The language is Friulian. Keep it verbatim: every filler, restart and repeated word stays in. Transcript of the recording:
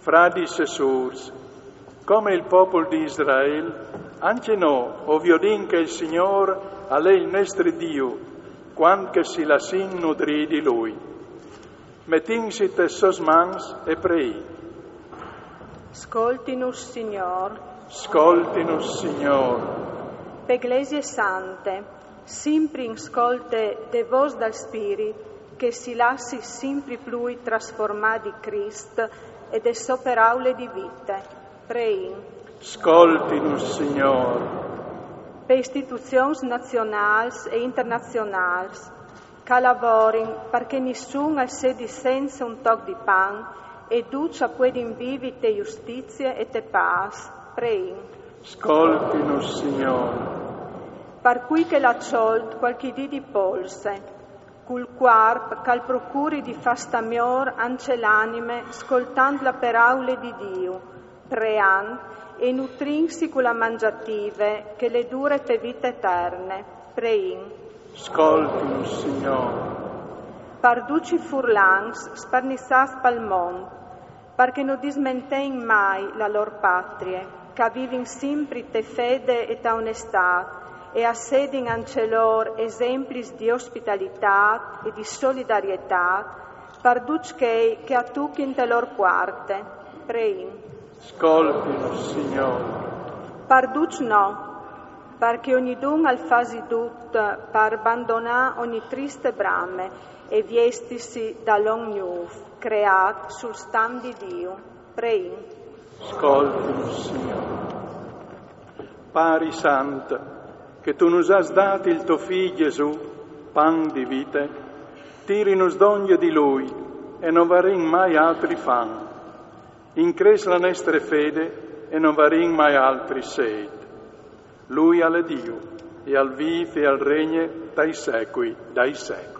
Fradis e sûrs, come il popul di Israel, ancje nô o viodìn che il Signôr al è il nestri Diu, cuant che si lassìn nudrî di Lui. Metìnsi tes sôs mans e preìn. Scoltinus, Signôr. Scoltinus, Signôr. Pe Glesie Sante, simpri in scolte de vôs dal Spirit, che si lassi simpri plui trasformâ di Crist e de sô peraule di vite. Preìn. Scoltinus, Signôr. Pe istituzions nazionâls e internazionâls, che a lavorin par che nissun al sedi sensa un toc di pan e ducj a puedin vivi te justizie e te pâs. Preìn. Scoltinus, Signôr. Par cui che al à cjolt cualchi dì di polse, cul cuarp che al procuri di fâ stâ miôr ancje la anime scoltant la peraule di Diu, preant e nutrintsi cu la mangjative che e je dure pe vite eterne. Preìn. Scoltinus, Signôr. Par ducj i furlans sparniçâts pal mont, par che no dismentein mai la lôr patrie, che a vivin simpri te fede e ta onestât, e a sedin ancje lôr esemplis di ospitalitât e di solidarietât par ducj chei che a tuchin te lôr puarte. Preìn. Scoltinus, Signôr. Par ducj nô, par che ognidun al fasi dut par bandonâ ogni triste brame e viestisi dal om gnûf, creât sul stam di Diu. Preìn. Scoltinus, Signôr. Pari sant, che tu nus âs dât il to Fi Jesù, pan di vite, tirinus dongje di Lui e no varìn mai altri fam. Incrès la nestre fede e no varìn mai altri sêt. Lui al è Diu, e al vîf e al regne tai secui dai secui.